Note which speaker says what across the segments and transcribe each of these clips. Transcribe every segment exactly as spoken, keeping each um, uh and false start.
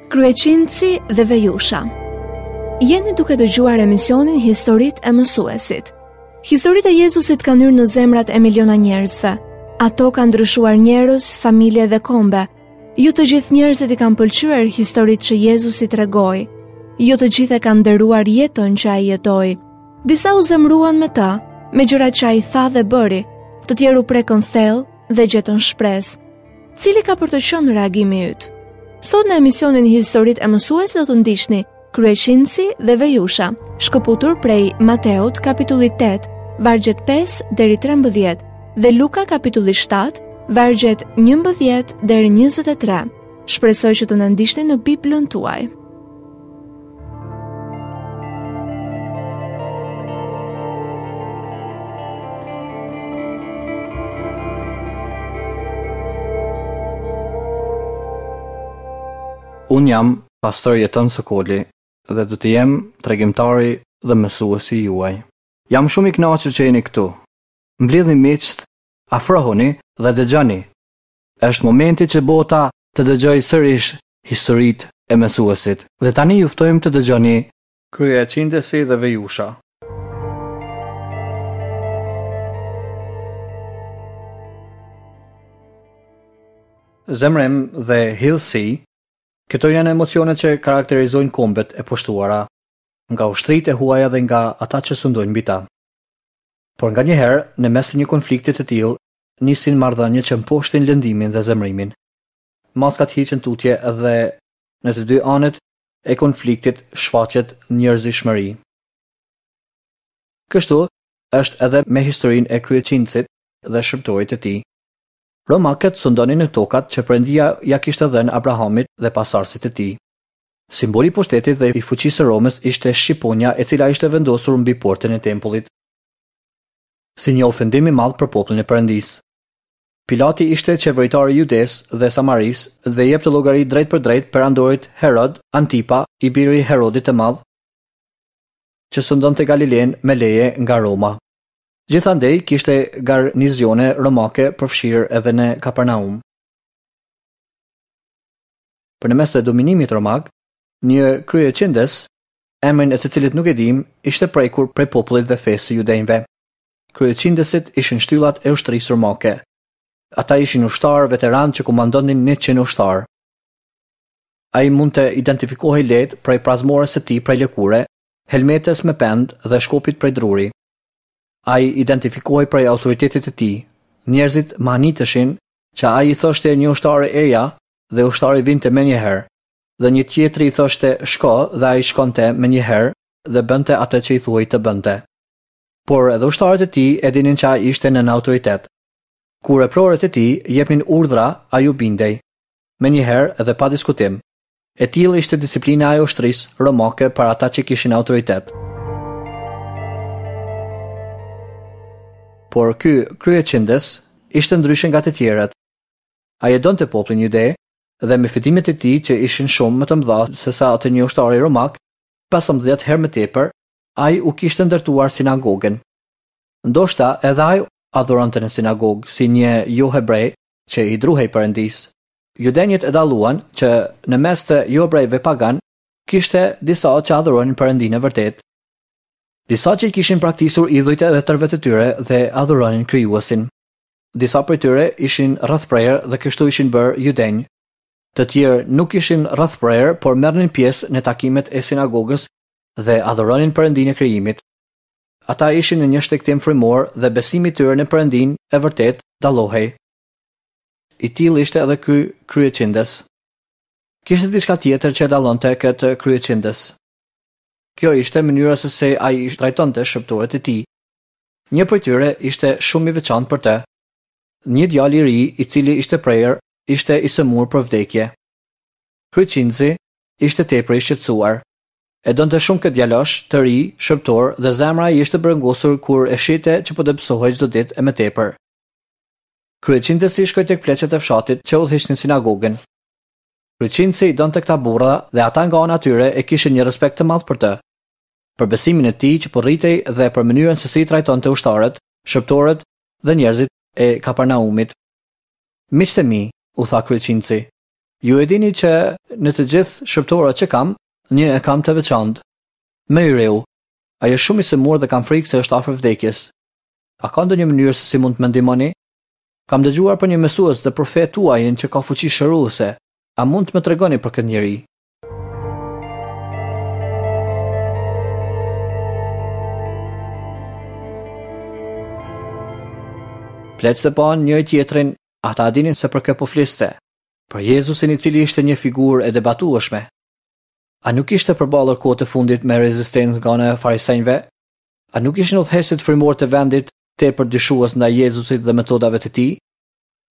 Speaker 1: Kryeqindësi dhe Vejusha. Jeni duke dëgjuar emisionin Historitë e Mësuesit. Historitë e Jezusit kanë hyrë në zemrat e miliona njerëzve. Ato kanë ndryshuar njerëz, familje dhe kombe. Jo të gjithë njerëzit i kanë pëlqyer historitë që Jezusi tregoi. Jo të gjithë e kanë nderuar jetën që ai jetoi. Disa u zemëruan me të, me gjërat që ai tha dhe bëri. Të tjerë u prekën thellë dhe gjetën shpresë. Cili ka për të qenë reagimi yt? Sot në emisionin Historitë e Mësuesit do të ndiqni Kryeqindësi dhe Vejusha, shkëputur prej Mateut kapitulli tetë, vargjet pesë deri trembëdhjetë dhe Luka kapitulli shtatë, vargjet njëmbëdhjetë deri njëzet e tre. Shpresoj që të na ndiqni në Biblën tuaj.
Speaker 2: Unë jam pastor Jeton Sokoli dhe do të jem tregimtari dhe mësuesi juaj. Jam shumë i kënaqur që jeni këtu. Mblidhni miqtë, afrohuni dhe dëgjoni. Është momenti që bota të dëgjojë sërish historitë e mësuesit. Dhe tani ju ftojmë të dëgjoni Kryeqindësi dhe Vejusha. Zemrim dhe hidhësi, këto janë emocionet që karakterizojnë kombet e pushtuara nga ushtritë e huaja dhe nga ata që sundojnë mbi ta. Por nganjëherë, në mes të një konflikti të tillë, nisin marrëdhënie që mposhtin lëndimin dhe zemrimin. Maskat hiqen tutje dhe në të dy anët e konfliktit shfaqet njerëzishmëri. Kështu është edhe me historinë e kryeqindësit dhe shërbëtorit të tij. Romakët sundonin në tokat që Perëndia ja kishte dhënë Abrahamit dhe pasardhësit të tij. Simboli i pushtetit dhe i fuqisë së Romës ishte shqiponja e cila ishte vendosur mbi portën e tempullit, si një ofendim i madh për popullin e Perëndisë. Pilati ishte qeveritar i Judes dhe Samarisë dhe jepte llogari drejt për drejt perandorit Herod Antipa, i biri i Herodit të Madh, që sundonte Galilen me leje nga Roma. Gjithandej kishte garnizione romake përfshirë edhe në Kapernaum. Për në mes të dominimit romak, një kryeqindës, emrin e të cilit nuk e dim, ishte prekur prej popullit dhe fesë së judenjve. Kryeqindësit ishin shtyllat e ushtrisë romake. Ata ishin ushtarë veteranë që komandonin njëqind ushtarë. Ai mund të identifikohej lehtë prej prazmores së tij prej lëkure, helmetës me pend dhe shkopit prej druri. Ai identifikohej prej autoritetit të tij. Njerëzit mahniteshin që ai i thoshte një ushtari eja dhe ushtari vinte menjëherë, dhe një tjetri i thoshte shko dhe ai shkonte menjëherë dhe bënte atë që i thuhej të bënte. Por edhe ushtarët e tij e dinin që ai ishte nën autoritet. Kur eprorët e tij jepnin urdhra, ai u bindej, menjëherë dhe pa diskutim. E tillë ishte disiplina e ushtrisë romake për ata që kishin autoritet. Por ky kryeqindës ishte ndryshe nga të tjerët. Ai e donte popullin jude dhe me fitimet e tij që ishin shumë më të mëdha se sa atë një ushtari romak, pesëmbëdhjetë herë më tepër, ai u kishte ndërtuar sinagogën. Ndoshta edhe ai adhuronte në sinagogë si një jo hebre që i druhej Perëndisë. Judenjët e dalluan që në mes të johebrejve pagan kishte disa që adhuronin Perëndinë e vërtetë. Disa që i kishin praktisur idhujt e etërve të tyre dhe adhuronin krijuesin. Disa prej tyre ishin rrethprerë dhe kështu ishin bërë judenj. Të tjerë nuk ishin rrethprerë, por merrnin pjesë në takimet e sinagogës dhe adhuronin Perëndinë e krijimit. Ata ishin në një shtegtim frymor dhe besimi i tyre në Perëndinë e vërtetë dallohej. I tillë ishte edhe ky kryeqindës. Kishte diçka tjetër që e dallonte këtë kryeqindës. Kjo ishte mënyra se si ai i trajtonte shërbëtorët e tij. Një prej tyre ishte shumë i veçantë për të. Një djalë i ri, i cili ishte prerë, ishte i sëmurë për vdekje. Kryeqindësi ishte tepër i shqetësuar. E donte shumë këtë djalosh të ri, shërbëtor, dhe zemra i ishte brengosur kur e shihte që po dobësohej çdo ditë e më tepër. Kryeqindësi shkoi tek pleqet e fshatit që udhëhiqnin sinagogën. Kryeqindësi i donte këta burra dhe ata nga ana e tyre e kishin një respekt të madh për të, për besimin e tij që po rritej dhe për mënyrën se si i trajtonte ushtarët, shërbëtorët dhe njerëzit e Kapernaumit. Miqtë e mi, u tha kryeqindësi, Ju e dini që në të gjithë shërbëtorët që kam, një e kam të veçantë. Më i riu. Ai është shumë i sëmurë dhe kam frikë se është afër vdekjes. A ka ndonjë mënyrë se si mund të më ndihmoni? Kam dëgjuar për një mësues dhe profet tuajin që ka fuqi shëruese. A mund të më tregoni për këtë njeri? Pleqtë panë njëri tjetrin, ata dinin se për kë po fliste. Për Jezusin i cili ishte një figurë e debatueshme. A nuk ishte përballur kohët e fundit me rezistencë nga ana e farisenjve? A nuk ishin udhëheqësit frymor të vendit tepër dyshues ndaj Jezusit dhe metodave të tij?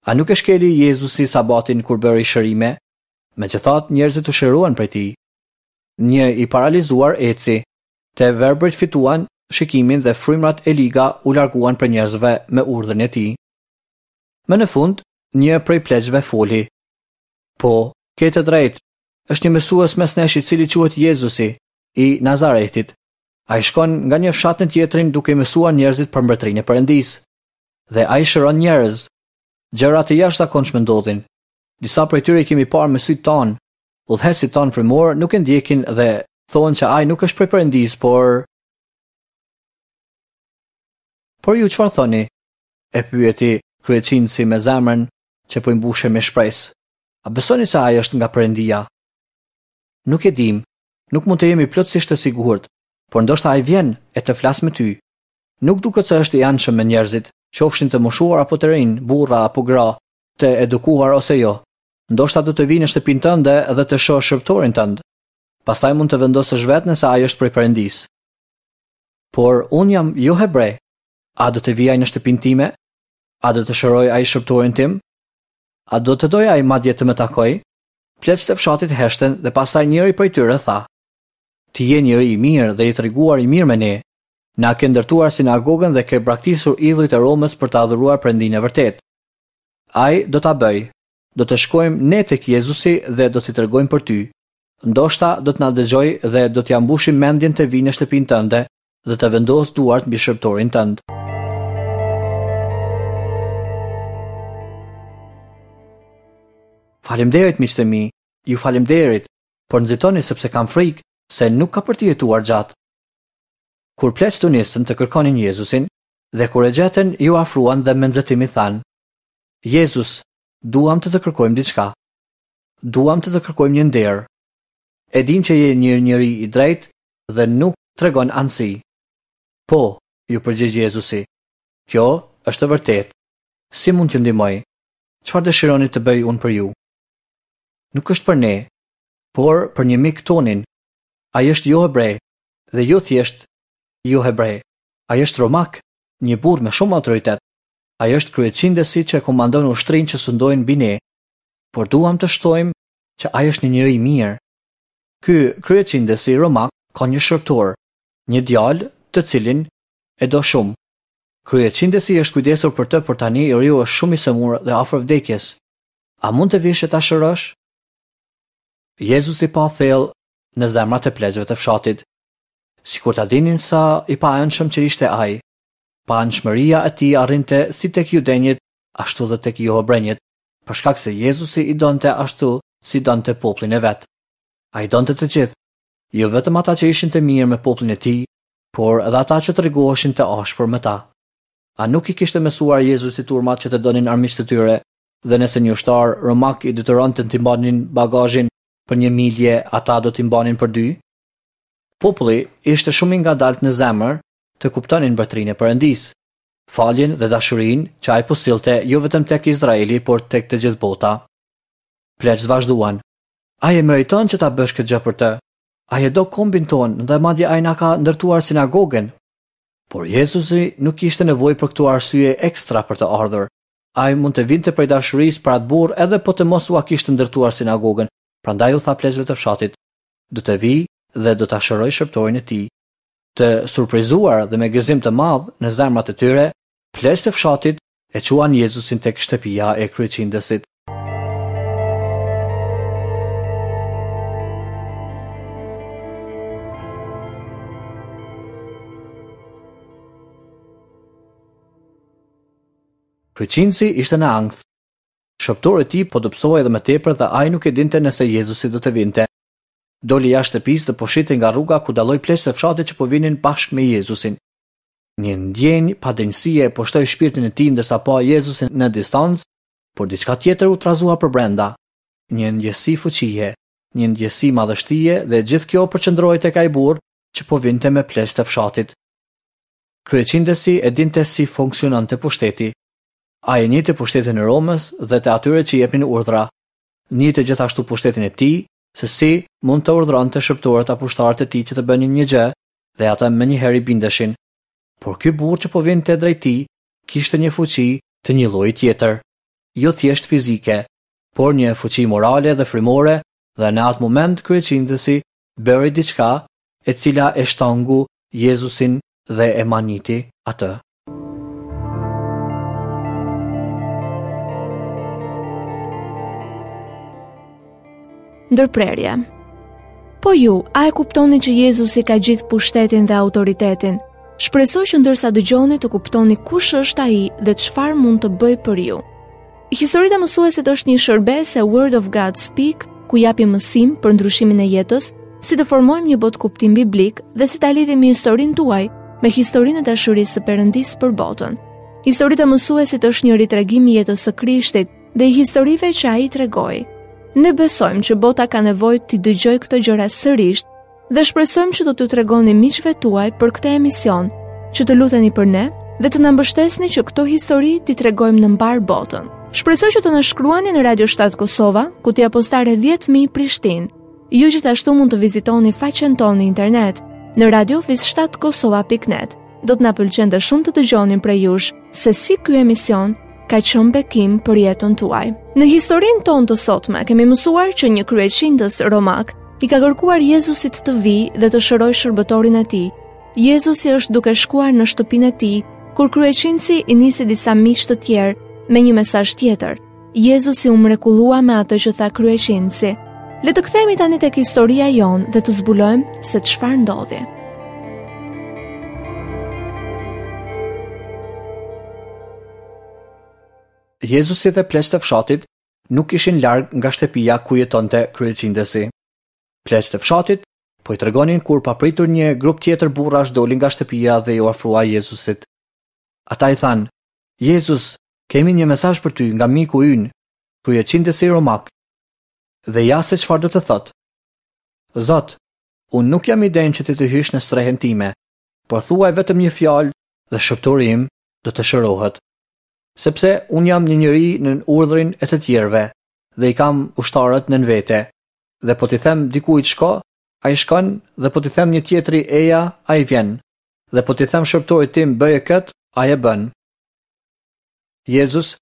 Speaker 2: A nuk e shkeli Jezusi sabatin kur bëri shërime? Megjithatë, njerëzit u shëruan prej tij. Një i paralizuar eci, të verbrit fituan shikimin dhe frymrat e liga u larguan prej njerëzve me urdhrin e tij. Më në fund, një prej pleqve foli. Po, ke të drejtë. Është një mësues mes nesh i cili quhet Jezusi i Nazaretit. Ai shkon nga një fshat në tjetrin duke mësuar njerëzit për mbretërinë e Perëndisë. Dhe ai shëron njerëz. Gjëra të jashtëzakonshme ndodhin. Disa prej tyre i kemi parë me sytë tanë. Udhëheqësit tanë frymor nuk e ndjekin dhe thonë që ai nuk është prej Perëndisë, por Por ju çfarë thoni? E pyeti kryeqindësi me zemrën që po i mbushej me shpresë. A besoni se ai është nga Perëndia? Nuk e dim, nuk mund të jemi plotësisht të sigurt, por ndoshta ai vjen e të flas me ty. Nuk duket se është i anshëm me njerëzit, qofshin të moshuar apo të rinj, burra apo gra, të edukuar ose jo. Ndoshta do të vijë në shtëpinë tënde dhe të shohë shërbëtorin tënd. Pastaj mund të vendosësh vetë nëse ai është prej Perëndisë. Por unë jam jo hebre. A do të vijë ai në shtëpinë time? A do të shëroj ai shërbëtorin tim? A do të dojë ai madje të më takoj? Pleqtë e fshatit heshtën dhe pastaj njëri prej tyre tha: Ti je njeri i mirë dhe i treguar i mirë me ne. Na ke ndërtuar sinagogën dhe ke braktisur idhujt e Romës për të adhuruar Perëndinë e vërtetë. Ai do ta bëj. Do të shkojmë ne tek Jezusi dhe do t'i tregojmë për ty. Ndoshta do të na dëgjoj dhe do t'ia mbushim mendjen të vijë në shtëpinë tënde dhe të vendosë duart mbi shërbëtorin tënd. Faleminderit miqtë e mi, ju faleminderit, por nxitoni sepse kam frikë se nuk ka për të jetuar gjatë. Kur pleqtë u nisën të kërkonin Jezusin, dhe kur e gjetën, ju afruan dhe me nxitim i thanë: Jezus, duam të të kërkojmë diçka. Duam të të kërkojmë një nder. E dim që je një njeri i drejtë dhe nuk tregon anësi. Po, ju përgjigj Jezusi. Kjo është e vërtetë. Si mund t'ju ndihmoj? Çfarë dëshironi të bëj unë për ju? Nuk është për ne, por për një mik tonin. Ai është jo hebre dhe jo thjesht jo hebre. Ai është romak, një burrë me shumë autoritet. Ai është kryeqindësi që komandon ushtrinë që sundojnë mbi ne. Por duam të shtojmë që ai është një njeri i mirë. Ky kryeqindësi romak ka një shërbëtor, një djalë të cilin e do shumë. Kryeqindësi është kujdesur për të, por tani i riu është shumë i sëmurë dhe afër vdekjes. A mund të vish e ta shërosh? Jezusi pa thellë në zemrat e pleqve të fshatit. Sikur ta dinin sa i paanshëm që ishte ai. Paanshmëria e tij arrinte si tek judenjët, ashtu dhe tek johebrenjët, për shkak se Jezusi i donte ashtu si donte popullin e vet. Ai donte të gjithë, jo vetëm ata që ishin të mirë me popullin e tij, por edhe ata që tregoheshin të ashpër me ta. A nuk i kishte mësuar Jezusi turmat që të donin armiqtë e tyre, dhe nëse një ushtar romak i detyronte të mbanin bagazhin për një milje, ata do t'i mbanin për dy? Populli ishte shumë i ngadaltë në zemër të kuptonin mbretërinë e Perëndisë, faljen dhe dashurinë që ai po sillte jo vetëm tek Izraeli, por tek të gjithë bota. Pleqtë vazhduan. Ai e meriton që ta bësh këtë gjë për të. Ai e do kombin tonë dhe madje ai na ka ndërtuar sinagogën. Por Jezusi nuk kishte nevojë për këto arsye ekstra për të ardhur. Ai mund të vinte prej dashurisë për atë burrë edhe po të mos ua kishte ndërtuar sinagogën. Prandaj u tha pleqve të fshatit: Do të vi dhe do ta shëroj shërbëtorin e tij. Të surprizuar dhe me gëzim të madh në zemrat e tyre, pleqtë e fshatit e quan Jezusin tek shtëpia e kryeqindësit. Kryeqindësi ishte në ankth. Shërbëtori i tij po dobësohej edhe më tepër dhe ai nuk e dinte nëse Jezusi do të vinte. Doli jashtë shtëpisë dhe po shihte nga rruga ku dalloi pleqtë e fshatit që po vinin bashkë me Jezusin. Një ndjenjë padenjësie e pushtoi shpirtin e tij ndërsa pa Jezusin në distancë, por diçka tjetër u trazua përbrenda. Një ndjesi fuqie, një ndjesi madhështie dhe gjithë kjo përqendrohej tek ai burrë që po vinte me pleqtë e fshatit. Kryeqindësi e dinte si funksiononte pushteti. Ai e njihte pushtetin e Romës dhe të atyre që jepnin urdhra. Njihte gjithashtu pushtetin e tij, se si mund të urdhëronte shërbëtorët apo ushtarët e tij që të bënin një gjë dhe ata menjëherë i bindeshin. Por ky burrë që po vinte drejt tij kishte një fuqi të një lloji tjetër, jo thjesht fizike, por një fuqi morale dhe frymore, dhe në atë moment kryeqindësi bëri diçka e cila e shtangu Jezusin dhe e maniti atë.
Speaker 1: Ndërprerje. Po ju, a e kuptoni që Jezusi ka gjithë pushtetin dhe autoritetin? Shpresoj që ndërsa dëgjoni të kuptoni kush është ai dhe çfarë mund të bëjë për ju. Historitë e mësuesit është një shërbesë e Word of God Speak, ku japim mësim për ndryshimin e jetës, si të formojmë një botëkuptim biblik dhe si ta lidhim historinë tuaj me historinë e dashurisë së Perëndisë për botën. Historitë e mësuesit është një ritregim i jetës së Krishtit dhe i historive që ai tregoi. Ne besojmë që bota ka nevojë t'i dëgjojë këto gjëra sërish dhe shpresojmë që do t'ju tregoni miqve tuaj për këtë emision, që të luteni për ne dhe të na mbështesni që këto histori t'i tregojmë në mbar botën. Shpresoj që të na shkruani në Radio shtatë Kosova, kutia postare dhjetë mijë Prishtinë. Ju gjithashtu mund të vizitoni faqen tonë në internet në radio shtatë kosova pikë net. Do të na pëlqente shumë të dëgjonim prej jush se si ky emision ka qenë bekim për jetën tuaj. Në historinë tonë të sotme kemi mësuar që një kryeqindës romak i ka kërkuar Jezusit të vijë dhe të shërojë shërbëtorin e tij. Jezusi është duke shkuar në shtëpinë e tij, kur kryeqindësi i nisi disa miq të tjerë me një mesazh tjetër. Jezusi u mrekullua me atë që tha kryeqindësi. Le të kthehemi tani tek historia jonë dhe të zbulojmë se çfarë ndodhi.
Speaker 2: Jezusi dhe pleqtë e fshatit nuk ishin larg nga shtëpia ku jetonte kryeqindësi. Pleqtë e fshatit po i tregonin kur papritur një grup tjetër burrash doli nga shtëpia dhe iu afrua Jezusit. Ata i thanë: Jezus, kemi një mesazh për ty nga miku ynë, kryeqindësi romak. Dhe ja se çfarë do të thotë. Zot, unë nuk jam i denjë që ti të hysh në strehën time, por thuaj vetëm një fjalë dhe shërbëtori im do të shërohet. Sepse unë jam një njeri nën urdhrin e të tjerëve dhe i kam ushtarët nën vete. Dhe po t'i them dikujt shko, ai shkon, dhe po t'i them një tjetri eja, ai vjen. Dhe po t'i them shërbëtorit tim bëje kët, ai e bën. Jezus,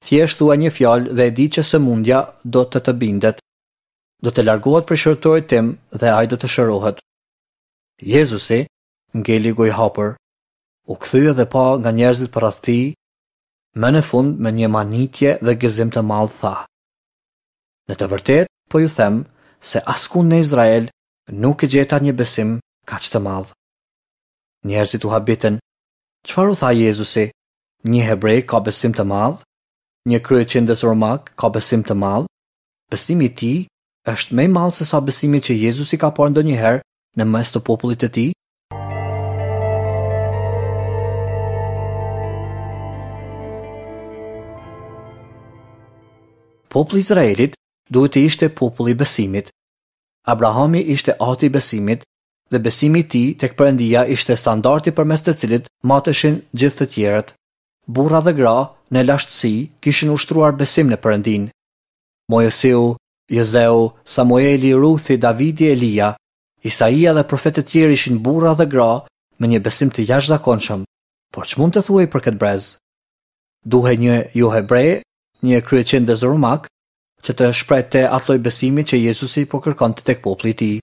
Speaker 2: thjesht thua një fjalë dhe e di që sëmundja do të të bindet. Do të largohet prej shërbëtorit tim dhe ai do të shërohet. Jezusi ngeli gojëhapur, u kthye dhe pa nga njerëzit përreth tij. Më në fund me një manitje dhe gëzim të madh tha: Në të vërtetë po ju them se askund në Izrael nuk e gjeta një besim kaq të madh. Njerëzit u habitën. Çfarë u tha Jezusi? Një hebre ka besim të madh? Një kryeqindës romak ka besim të madh? Besimi i tij është më i madh se sa besimi që Jezusi ka parë ndonjëherë në mes të popullit të tij? Populli i Izraelit duhet të ishte populli i besimit. Abrahami ishte ati i besimit dhe besimi i tij tek Perëndia ishte standardi përmes të cilit mateshin gjithë të tjerët. Burra dhe gra në lashtësi kishin ushtruar besim në Perëndin. Mojsiu, Jozeu, Samueli, Ruthi, Davidi, Elia, Isaia dhe profetët tjerë ishin burra dhe gra me një besim të jashtëzakonshëm. Por ç'mund të thuhej për këtë brez? Duhej një jo hebre, një kryeqindës romak, që të shprehte atë lloj besimi që Jezusi po kërkonte tek populli i tij.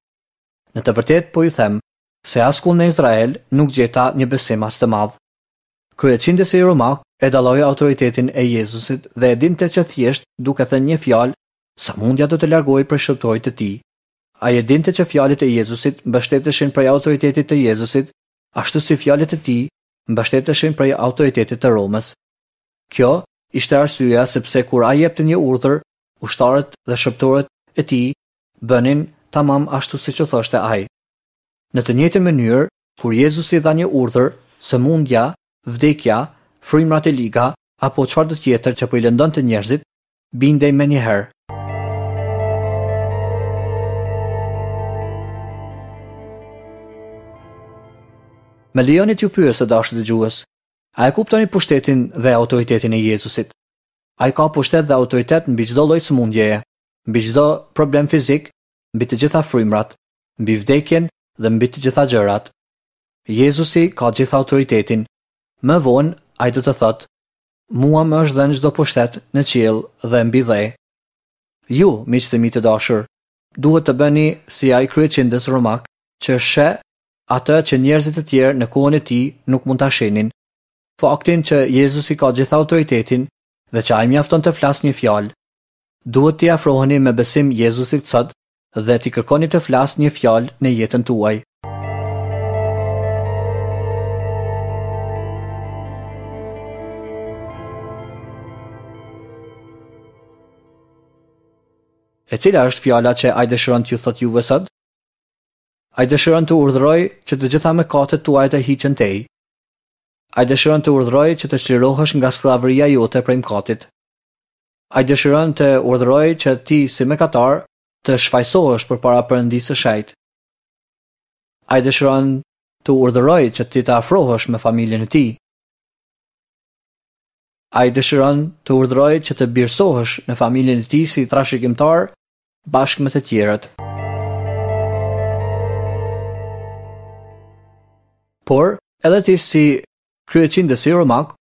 Speaker 2: Në të vërtetë po ju them se askund në Izrael nuk gjeta një besim aq të madh. Kryeqindësi romak e dalloi autoritetin e Jezusit dhe e dinte që thjesht duke thënë një fjalë, sëmundja do të largohej prej shërbëtorit të tij. Ai e dinte që fjalët e Jezusit mbështeteshin prej autoritetit të Jezusit, ashtu si fjalët e tij mbështeteshin prej autoritetit të Romës. Kjo ishte arsyeja sepse kur ai jepte një urdhër, ushtarët dhe shërbëtorët e tij bënin tamam ashtu siç u thoshte ai. Në të njëjtën mënyrë, kur Jezusi dha një urdhër, sëmundja, vdekja, frymrat e liga apo çfarëdo tjetër që po i lëndonte njerëzit, bindej menjëherë. Më lejoni t'ju pyes të dashur dëgjues, a e kuptoni pushtetin dhe autoritetin e Jezusit? Ai ka pushtet dhe autoritet mbi çdo lloj sëmundjeje, mbi çdo problem fizik, mbi të gjitha frymrat, mbi vdekjen dhe mbi të gjitha gjërat. Jezusi ka gjithë autoritetin. Më vonë ai do të thotë: Mua më është dhënë çdo pushtet në qiell dhe mbi dhe. Ju, miqtë e mi të dashur, duhet të bëni si ai kryeqindës romak që sheh atë që njerëzit e tjerë në kohën e tij nuk mund ta shihnin. Faktin që Jezusi ka gjithë autoritetin dhe që ai mjafton të flasë një fjalë. Duhet t'i afroheni me besim Jezusit sot dhe t'i kërkoni të flasë një fjalë në jetën tuaj. E cila është fjala që ai dëshiron t'ju thotë juve sot? Ai dëshiron të urdhërojë që të gjitha mëkatet tuaja të hiqen tej. Ai dëshiron të urdhërojë që të çlirohesh nga skllavëria jote prej mëkatit. Ai dëshiron të urdhërojë që ti si mëkatar të shfajsohesh përpara Perëndisë së Shenjtë. Ai dëshiron të urdhërojë që ti të afrohesh me familjen e tij. Ai dëshiron të urdhërojë që të birësohesh në familjen e tij si trashëgimtar bashkë me të tjerët. Por, edhe ti si kryeqindësi romak,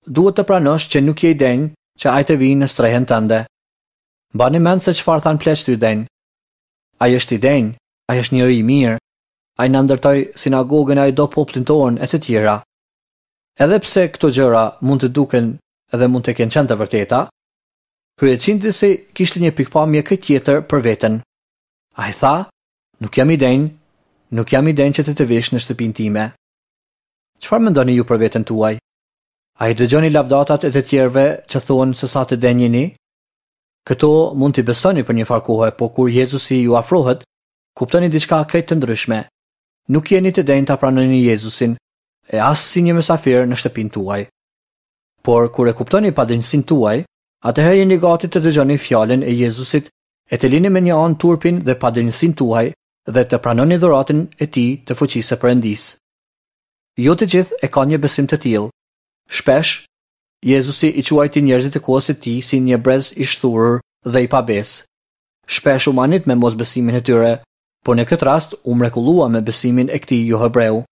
Speaker 2: duhet të pranosh që nuk je i denjë që ai të vijë në strehën tënde. Mbani mend se çfarë than pleqtë judenj. Ai është i denjë, ai është njeri i mirë, ai na ndërtoi sinagogën, ai do popullin tonë e të tjera. Edhe pse këto gjëra mund të duken edhe mund të kenë qenë të vërteta, kryeqindësi kishte një pikpamje krejt tjetër për veten. Ai tha, nuk jam i denjë, nuk jam i denjë që të të vish në shtëpinë time. Çfarë mendoni ju për veten tuaj? A i dëgjoni lavdatat e të tjerëve që thonë se sa të denjë jeni? Këto mund t'i besoni për një farë kohe, po kur Jezusi ju afrohet, kuptoni diçka krejt të ndryshme. Nuk jeni të denjë ta pranoni Jezusin, e as si një mysafir në shtëpinë tuaj. Por kur e kuptoni padenjësinë tuaj, atëherë jeni gati të dëgjoni fjalën e Jezusit e të lini me një anë turpin dhe padenjësinë tuaj dhe të pranoni dhuratën e tij të fuqisë së Perëndisë. Jo të gjithë e kanë një besim të tillë. Shpesh, Jezusi i quajti njerëzit e kohës së tij si një brez i shthurur dhe i pabesë. Shpesh u manit me mosbesimin e tyre, por në këtë rast u mrekullua me besimin e këtij johebreu.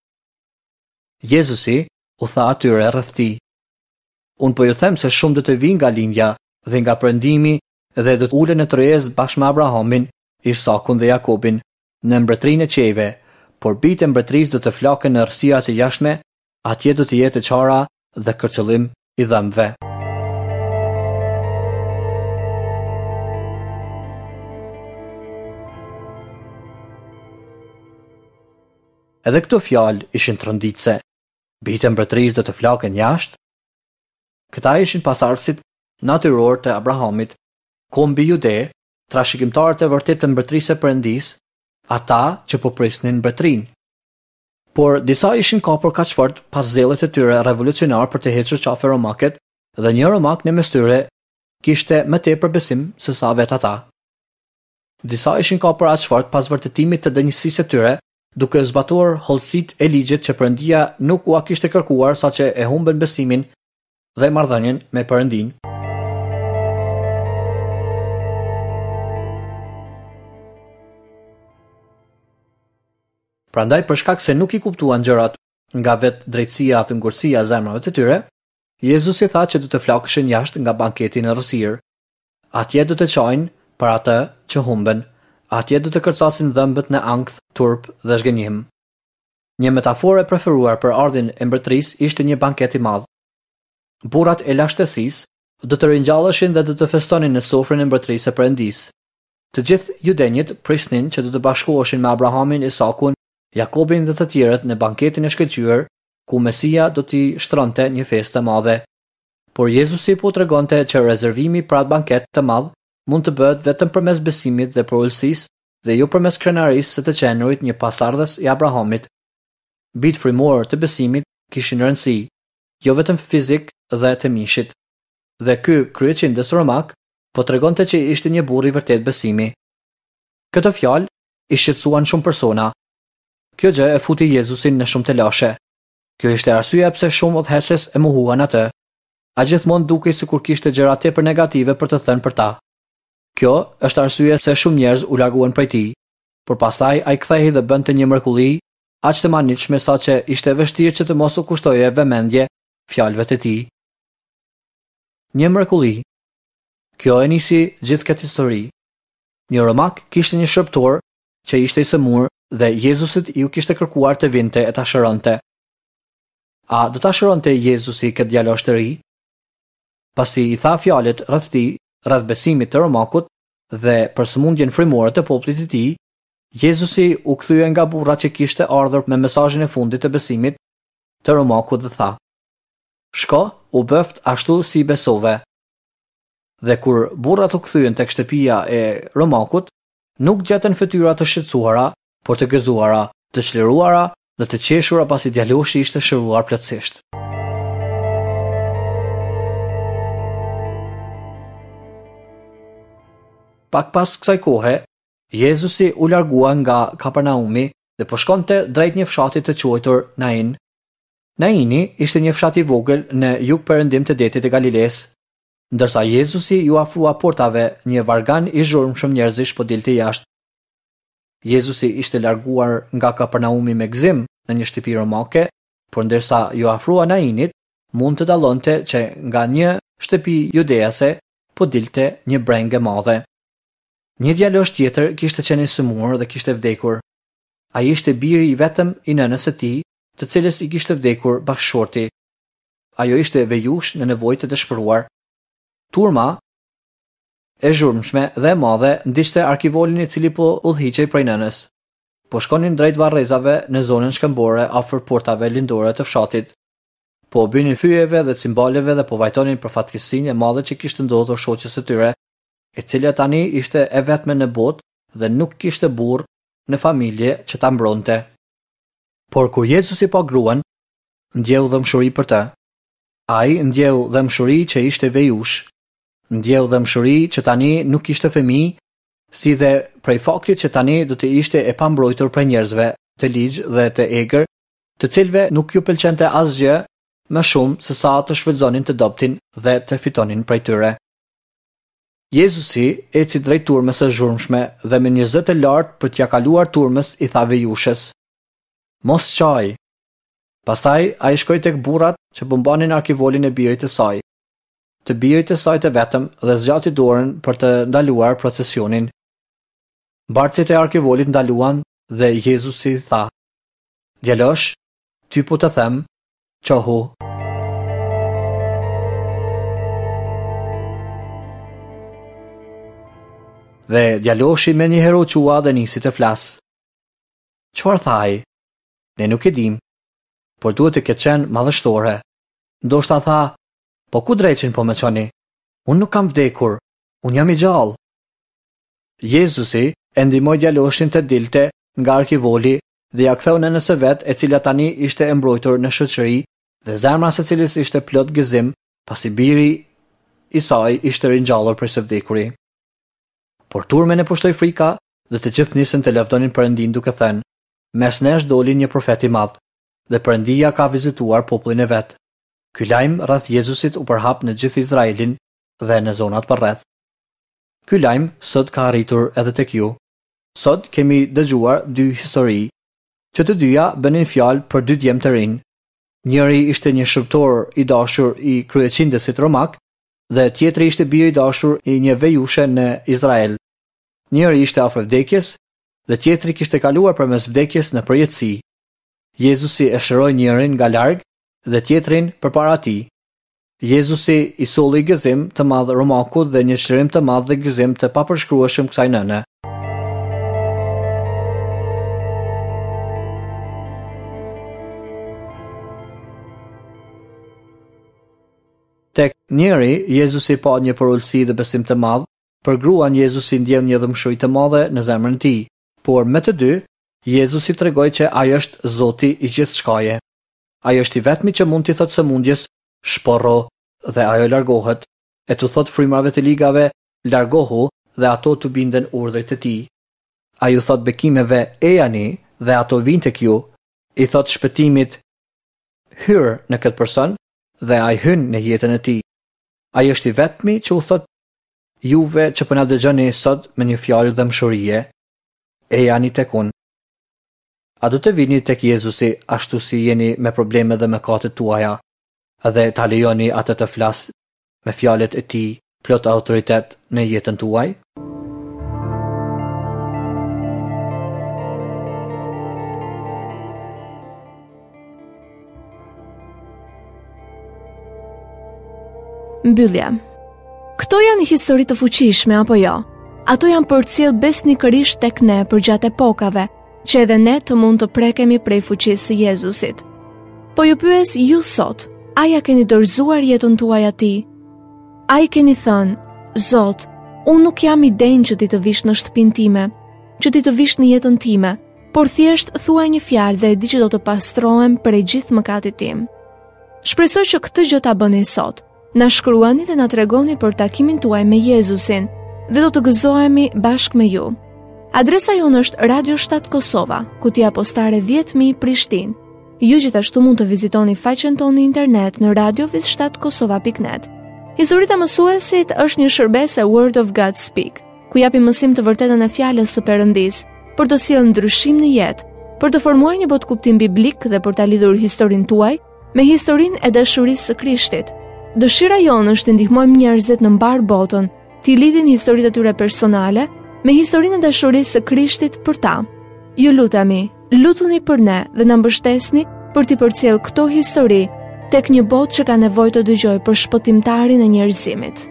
Speaker 2: Jezusi u tha atyre rreth tij: Unë po ju them se shumë do të vinë nga lindja dhe nga perëndimi dhe do të ulen në tryezë bashkë me Abrahamin, Isakun dhe Jakobin në mbretërinë e qiejve, por bijtë e mbretërisë do të flaken në errësirat e jashtme, atje do të jetë e qara dhe kërcëllim i dhëmbëve. Edhe këto fjalë ishin tronditëse. Bijtë e mbretërisë do të flaken jashtë? Këta ishin pasardhësit natyror të Abrahamit, kombi jude, trashëgimtarët e vërtetë të mbretërisë së Perëndisë, ata që po prisnin mbretërinë. Por disa ishin kapur kaq fort pas zellit të tyre revolucionar për të hequr qafe romakët dhe një romak në mes tyre kishte më tepër besim se sa vetë ata. Disa ishin kapur aq fort pas vërtetimit të denjësisë së tyre, duke zbatuar hollësitë e ligjit që Perëndia nuk ua kishte kërkuar, saqë e humbën besimin dhe marrëdhënien me Perëndin. Prandaj për shkak se nuk i kuptuan gjërat nga vetë drejtësia dhe ngurtësia e zemrave të tyre, Jezusi tha që do të flakeshin jashtë nga banketi në errësirë. Atje do të qajnë për atë që humbën, atje do të kërcasin dhëmbët në ankth, turp dhe zhgënjim. Një metaforë e preferuar për ardhjen e mbretërisë ishte një banket i madh. Burrat e lashtësisë do të ringjalleshin dhe do të festonin në sofrën e mbretërisë së Perëndisë. Të gjithë judenjët prisnin që do të bashkoheshin me Abrahamin, Isakun, Jakobin dhe të tjerët në banketin e shkëlqyer, ku Mesia do t'i shtronte një festë të madhe. Por Jezusi po tregonte që rezervimi për atë banket të madh mund të bëhet vetëm përmes besimit dhe përulësisë dhe jo përmes krenarisë së të qenurit një pasardhës i Abrahamit. Bijtë frymorë të besimit kishin rëndësi, jo vetëm fizik dhe të mishit. Dhe ky kryeqindës romak po tregonte që ishte një burrë i vërtetë besimi. Këto fjalë i shqetësuan shumë persona. Kjo gjë e futi Jezusin në shumë telashe. Kjo ishte arsyeja pse shumë udhëheqës e mohuan atë. Ai gjithmonë dukej sikur kishte gjëra tepër negative për të thënë për ta. Kjo është arsyeja pse shumë njerëz u larguan prej tij, por pastaj ai kthehej dhe bënte një mrekulli aq të mahnitshme saqë ishte e vështirë që të mos u kushtoje vëmendje fjalëve të tij. Një mrekulli. Kjo e nisi gjithë këtë histori. Një romak kishte një shërbëtor që ishte i sëmurë dhe Jezusit iu kishte kërkuar të vinte e ta shëronte. A do ta shëronte Jezusi këtë djalosh të ri? Pasi i tha fjalët rreth tij, rreth besimit të romakut dhe për sëmundjen frymore të popullit të tij, Jezusi u kthye nga burra që kishte ardhur me mesazhin e fundit të besimit të romakut dhe tha: Shko, u bëft ashtu si besove. Dhe kur burrat u kthyen tek shtëpia e romakut, nuk gjetën fytyra të shqetësuara, por të gëzuara, të çliruara dhe të qeshura pasi djaloshi ishte shëruar plotësisht. Pak pas kësaj kohe, Jezusi u largua nga Kapernaumi dhe po shkonte drejt një fshati të quajtur Nain. Naini ishte një fshat i vogël në jug-perëndim të detit të Galilesë. Ndërsa Jezusi iu afrua portave, një vargan i zhurmshëm njerëzish po dilte jashtë. Jezusi ishte larguar nga Kapernaumi me gëzim në një shtëpi romake, por ndërsa iu afrua Nainit, mund të dallonte që nga një shtëpi judease po dilte një brengë e madhe. Një djalosh tjetër kishte qenë i sëmurë dhe kishte vdekur. Ai ishte biri i vetëm i nënës së tij, të cilës i kishte vdekur bashkëshorti. Ajo ishte vejush në nevojë të dëshpëruar. Turma e zhurmshme dhe e madhe ndiqte arkivolin i cili po udhëhiqej prej nënës. Po shkonin drejt varrezave në zonën shkëmbore afër portave lindore të fshatit. Po binin fyeve dhe cimbaleve dhe po vajtonin për fatkeqësinë e madhe që kishte ndodhur shoqes së tyre, e cila tani ishte e vetme në botë dhe nuk kishte burrë në familje që ta mbronte. Por kur Jezusi pa gruan, ndjeu dhembshuri për të. Ai ndjeu dhembshuri që ishte vejush, ndjeu dhembshuri që tani nuk kishte fëmijë, si dhe prej faktit që tani do të ishte e pambrojtur prej njerëzve të ligj dhe të egër, të cilëve nuk ju pëlqente asgjë më shumë se sa të shfrytëzonin të dobtin dhe të fitonin prej tyre. Jezusi eci drejt turmës së zhurmshme dhe me një zë të lartë për t'ia kaluar turmës i tha vejushës: Mos qaj. Pastaj ai shkoi tek burrat që po mbanin arkivolin e birit të saj, të birit të saj të vetëm, dhe zgjati dorën për të ndaluar procesionin. Mbartësit e arkivolit ndaluan dhe Jezusi tha: Djalosh, ty po të them, çohu. Dhe djaloshi menjëherë u qua dhe nisi të flasë. Çfarë tha ai? Ne nuk e dim, por duhet të ketë qenë madhështore. Ndoshta tha: Po ku dreqin po më çoni? Unë nuk kam vdekur, unë jam i gjallë. Jezusi e ndihmoi djaloshin të dilte nga arkivoli dhe ja ktheu nënës së vet, e cila tani ishte e mbrojtur në shoqëri dhe zemra së cilës ishte plot gëzim, pasi biri i saj ishte ringjallur prej së vdekuri. Por turmën e pushtoi frika dhe të gjithë nisën të lavdonin Perëndin duke thënë: Mes nesh doli një profet i madh, dhe Perëndia ka vizituar popullin e vet. Ky lajm rreth Jezusit u përhap në gjithë Izraelin dhe në zonat përreth. Ky lajm sot ka arritur edhe tek ju. Sot kemi dëgjuar dy histori, që të dyja bënin fjalë për dy djem të rinj. Njëri ishte një shërbëtor i dashur i kryeqindësit romak dhe tjetri ishte biri i dashur i një vejushe në Izrael. Njëri ishte afër vdekjes dhe tjetri kishte kaluar përmes vdekjes në përjetësi. Jezusi e shëroi njërin nga larg dhe tjetrin përpara tij. Jezusi i solli gëzim të madh romakut dhe një çlirim të madh dhe gëzim të papërshkrueshëm kësaj nëne. Tek njëri, Jezusi pa një përulësi dhe besim të madh, për gruan Jezusi ndjeu një dhembshuri të madhe në zemrën e tij. Por me të dy, Jezusi tregoi që ai është Zoti i gjithçkaje. Ai është i vetmi që mund t'i thotë sëmundjes, shporro, dhe ajo largohet, e t'u thotë frymërave të ligave, largohu dhe ato t'u binden urdhrit të tij. Ai u thotë bekimeve, ejani dhe ato vijnë tek ju. I thotë shpëtimit, hyr në këtë person dhe ai hyn në jetën e tij. Ai është i vetmi që u thotë juve që po na dëgjoni sot me një fjalë dhembshurie, ejani tek unë. A do të vini tek Jezusi ashtu si jeni me probleme dhe mëkatet tuaja dhe ta lejoni atë të flasë me fjalët e tij plot autoritet në jetën tuaj?
Speaker 1: Mbyllja. Këto janë histori të fuqishme apo jo? Ato janë përcjellë besnikërisht tek ne përgjatë epokave, që edhe ne të mund të prekemi prej fuqisë së Jezusit. Po ju pyes ju sot, a ja keni dorëzuar jetën tuaj atij? A i keni thënë, Zot, unë nuk jam i denjë që ti të vish në shtëpinë time, që ti të vish në jetën time, por thjesht thuaj një fjalë dhe e di që do të pastrohem prej gjithë mëkatit tim. Shpresoj që këtë gjë ta bëni sot. Na shkruani dhe na tregoni për takimin tuaj me Jezusin dhe do të gëzohemi bashkë me ju. Adresa jonë është Radio shtatë Kosova, kutia postare dhjetë mijë Prishtinë. Ju gjithashtu mund të vizitoni faqen tonë në internet në radio shtatë kosova pikë net. Historitë e mësuesit është një shërbesë e Word of God Speak, ku japim mësim të vërtetën e fjalës së Perëndisë për të sjellë ndryshim në jetë, për të formuar një botëkuptim biblik dhe për ta lidhur historinë tuaj me historinë e dashurisë së Krishtit. Dëshira jonë është të ndihmojmë njerëzit në mbarë botën, t'i lidhin historitë e tyre personale me historinë e dashurisë së Krishtit për ta. Ju lutemi, lutuni për ne dhe na mbështesni për t'i përcjellë këto histori tek një botë që ka nevojë të dëgjojë për shpëtimtarin e njerëzimit.